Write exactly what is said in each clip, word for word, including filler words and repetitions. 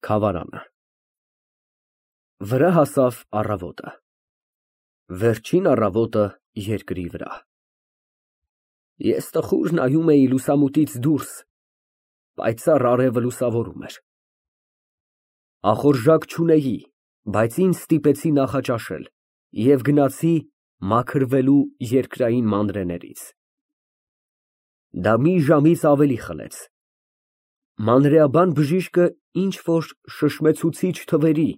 Քավարանը։ Վրա հասավ առավոտը, վերջին առավոտը երկրի վրա։ Ես տխուր նայում էի լուսամուտից դուրս, պայծառ արևը լուսավորում էր։ Ախորժակ չունեի, բայց ինձ ստիպեցի նախաճաշել և գնացի մաքրվելու երկրային մանրէներից։ Դա մի ժամից ավելի խլեց։ Մանրէաբան բժիշկը ինչ֊որ շշմեցուցիչ թվերի,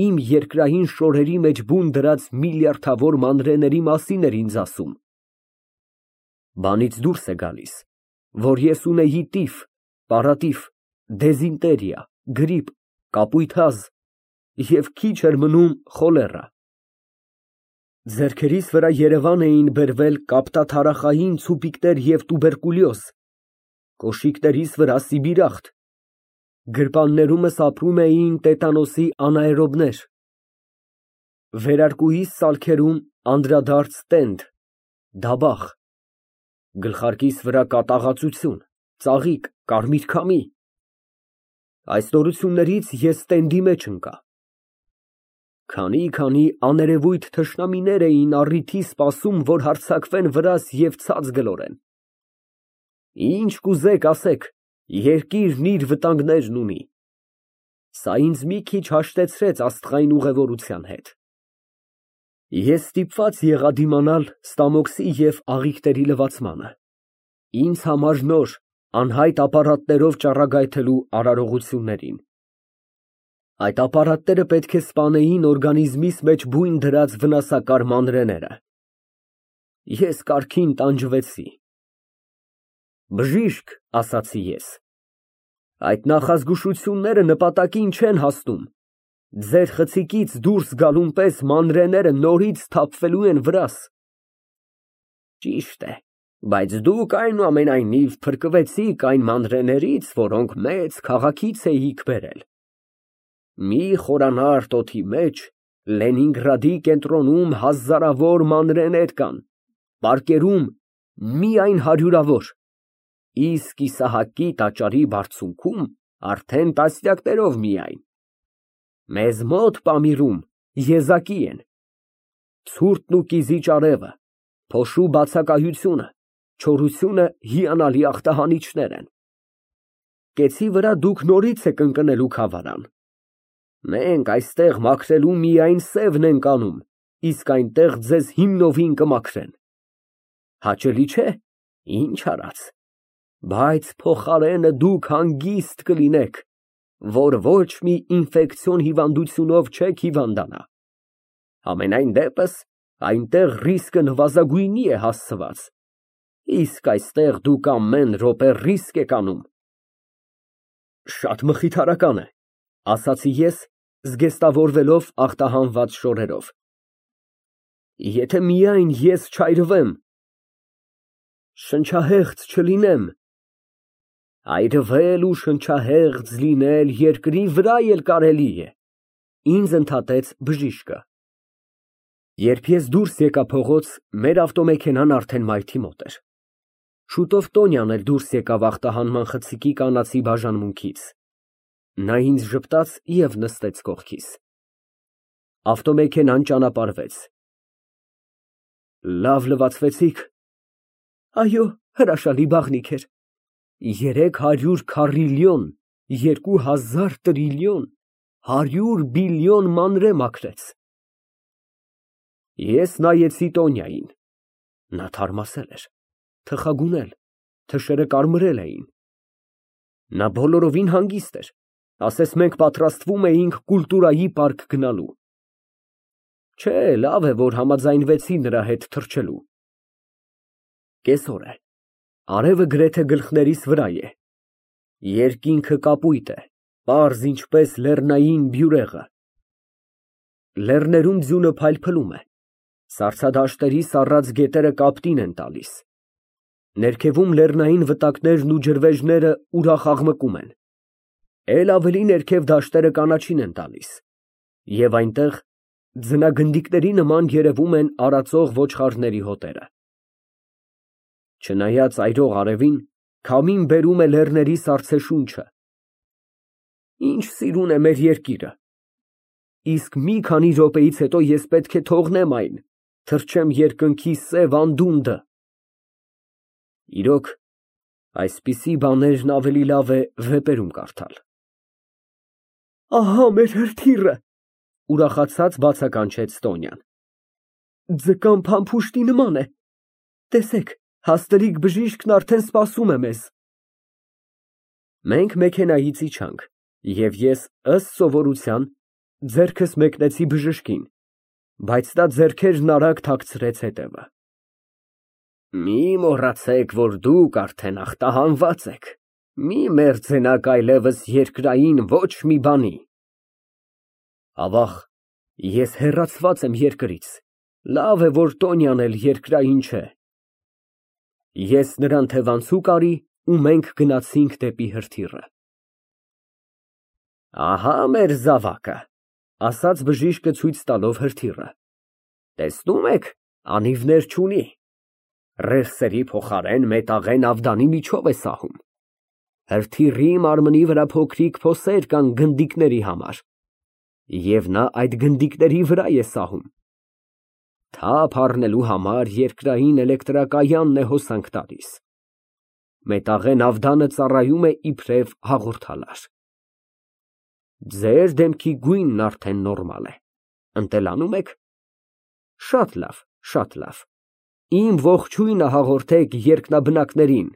իմ երկրային շորերի մեջ բուն դրած միլիարդավոր մանրէների մասին էր ինձ ասում։ Բանից դուրս է գալիս, որ ես ունեի տիֆ, պարատիֆ, դիզենտերիա, գրիպ, կապույտ հազ և քիչ էր մնում խոլերա։ Ձեռքերիս վրա երևան էին բերվել կապտաթարախային ցուպիկներ և տուբերկուլյոզ, կոշիկներիս վրա սիբիրախտ, գրպաններումս ապրում էին տետանոսի անաէրոբներ, վերարկուիս ծալքերում անդրադարձ տենդ, դաբախ, գլխարկիս վրա կատաղածություն, ծաղիկ, կարմիր քամի։ Այս նորություններից ես տենդի մեջ ընկա։ Քանի֊քանի աներևույթ թշնամիներ էին առիթի սպասում, որ հարձակվեն վրաս և ցած գլորեն։ Ինչ կուզեք ասեք, երկիրն իր վտանգներն ունի։ Սա ինձ մի քիչ հաշտեցրեց աստղային ուղևորության հետ։ Ես ստիպված եղա դիմանալ ստամոքսի և աղիքների լվացմանը, ինձ համար նոր, անհայտ ապարատներով ճառագայթելու արարողություններին։ Այդ ապարատները պետք է սպանեին օրգանիզմիս մեջ բույն դրած վնասակար մանրէները։ Ես կարգին տանջվեցի։ Բժիշկ, ասացի ես, այդ նախազգուշությունները նպատակին չեն հասնում, ձեր խցիկից դուրս գալուն պես մանրէները նորից թափվելու են վրաս։ Ճիշտ է, բայց դուք այնուամենայնիվ փրկվեցիք այն մանրէներից, որոնք մեծ քաղաքից էիք բերել։ Մի խորանարդ օդի մեջ Լենինգրադի կենտրոնում հազարավոր մանրէներ կան, պարկերում միայն հարյուրավոր, իսկ Իսահակի տաճարի բարձունքում արդեն տասնյակներով միայն։ Մեզ մոտ Պամիրում եզակի են ցուրտն ու կիզիչ արևը, փոշու բացակայությունը, չորությունը հիանալի ախտահանիչներ են։ Կեցի վրա դուք նորից եք ընկնելու Քավարան։ Մենք այստեղ մաքրելու միայն սևն ենք անում, իսկ այնտեղ ձեզ հիմնովին կմաքրեն։ Հաճելի չէ, ինչ արած, բայց փոխարենը դուք հանգիստ կլինեք, որ ոչ մի ինֆեկցիոն հիվանդությունով չեք հիվանդանա։ Համենայն դեպս, այնտեղ ռիսկը նվազագույնի է հասցված, իսկ այստեղ դուք ամեն րոպե ռիսկ եք անում։ Շատ մխիթարական է, ասացի ես, զգեստավորվելով ախտահանված շորերով։ Եթե միայն ես չայրվեմ, շնչահեղձ չլինեմ։ Այրվել ու շնչահեղձ լինել երկրի վրա էլ կարելի է, ինձ ընդհատեց բժիշկը։ Երբ ես դուրս եկա փողոց, մեր ավտոմեքենան արդեն մայթի մոտ էր։ Շուտով Տոնյան էլ դուրս եկավ ախտահանման խցիկի կանացի բաժանմունքից։ Նա ինձ ժպտաց և նստեց կողքիս։ Ավտոմեքենան ճանապարհվեց։ Լավ լվացվեցի՞ք։ Այո, հրաշալի բաղնիք էր։ Երեք հարյուր քառիլիոն, երկու հազար տրիլիոն, հարյուր բիլիոն մանրէ մաքրեց։ Ես նայեցի Տոնյային։ Նա թարմացել էր, թխագունել, թշերը կարմրել էին։ Նա բոլորովին հանգիստ էր, ասես մենք պատրաստվում էինք կուլտուրայի պարկ գնալու։ Չէ, լավ է, որ համաձայնվեցի նրա հետ թռչելու։ Կեսօր է, արևը գրեթե գլխներիս վրա է, երկինքը կապույտ է, պարզ ինչպես լեռնային բյուրեղը։ Լեռներում ձյունը փայլփլում է, սառցադաշտերի սառած գետերը կապտին են տալիս։ Ներքևում լեռնային վտակներն ու ջրվեժները ուրախ աղմկում են, էլ ավելի ներքև դաշտերը կանաչին են տալիս, և այնտեղ ձնագնդիկների նման երևում են արածող ոչխարների հոտերը։ Չնայած այրող արևին, քամին բերում է լեռների սառցե շունչը։ Ինչ սիրուն է մեր երկիրը։ Իսկ մի քանի րոպեից հետո ես պետք է թողնեմ այն, թռչեմ երկնքի սև անդունդը։ Իրոք, այսպիսի բաներն ավելի լավ է վեպերում կարդալ։ Ահա մեր հրթիռը, ուրախացած բացականչեց Տոնյան։ Ձկան փամփուշտի նման է։ Տեսեք, հաստլիկ բժիշկն արդեն սպասում է մեզ։ Մենք մեքենայից իջանք, և ես ըստ սովորության ձեռքս մեկնեցի բժշկին, բայց նա ձեռքերն արագ թաքցրեց հետևը։ Մի մոռացեք, որ դուք արդեն ախտահանված եք, մի մերձենաք այլևս երկրային ոչ մի բանի։ Ավաղ, ես հեռացված եմ երկրից, լավ է, որ Տոնյան էլ երկրային չէ։ Ես նրան թևանցուկ արի ու մենք գնացինք դեպի հրթիռը։ Ահա մեր զավակը, ասաց բժիշկը ցույց տալով հրթիռը։ Տեսնում եք, անիվներ չունի։ Ռելսերի փոխարեն մետաղե նավդանի միջով է սահում։ Հրթիռի մարմնի վրա փոքրիկ փոսեր կան գնդիկների համար, և նա այդ գնդիկների վրա է սահում։ Թափ առնելու համար երկրային էլեկտրակայանն է հոսանք տալիս։ Մետաղե նավդանը ծառայում է իբրև հաղորդալար։ Ձեր դեմքի գույնն արդեն նորմալ է։ Ընտելանում եք։ Շատ լավ, շատ լավ։ Իմ ողջույնը հաղորդեք երկնաբնակներին։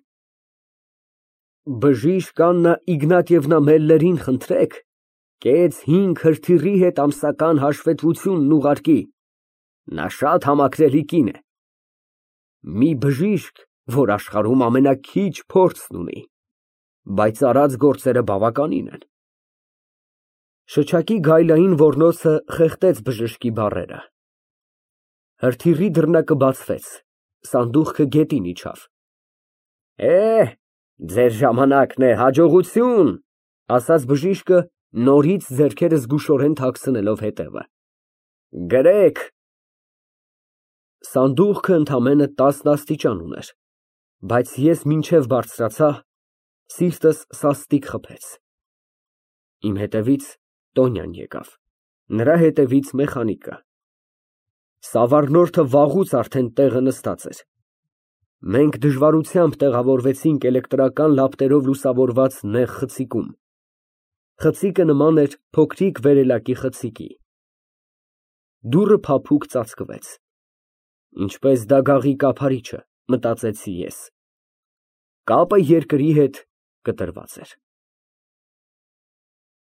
Բժիշկ Աննա Իգնատիևնա Մելլերին խնդրեք, կեց հինգ հրթիռի հետ ամսական հաշվետվությունն ուղարկի։ Նա շատ համակրելի կին է։ Մի բժիշկ, որ աշխարհում ամենաքիչ փորձն ունի, բայց արած գործերը բավականին են։ Շչակի գայլային ոռնոցը խեղդեց բժշկի բառերը։ Հրթիռի դռնակը բացվեց, սանդուղքը գետին իջավ։ Է, ձեր ժամանակն է, հաջողություն, ասաց բժիշկը, նորից ձեռքերը զգուշորեն թաքցնելով հետևը։ Գրեք։ Սանդուղքը ընդամենը տասն աստիճան ուներ, բայց ես մինչև բարձրացա, սիրտս սաստիկ խփեց։ Իմ հետևից Տոնյան եկավ, նրա հետևից մեխանիկը։ Սավառնորդը վաղուց արդեն տեղը նստած էր։ Մենք դժվարությամբ տեղավորվեցինք էլեկտրական լապտերով լուսավորված նեղ խցիկում։ Խցիկը նման էր փոքրիկ վերելակի խցիկի։ Դուռը փափուկ ծածկվեց։ Ինչպես դագաղի կափարիչը, մտածեցի ես։ Կապը երկրի հետ կտրված էր։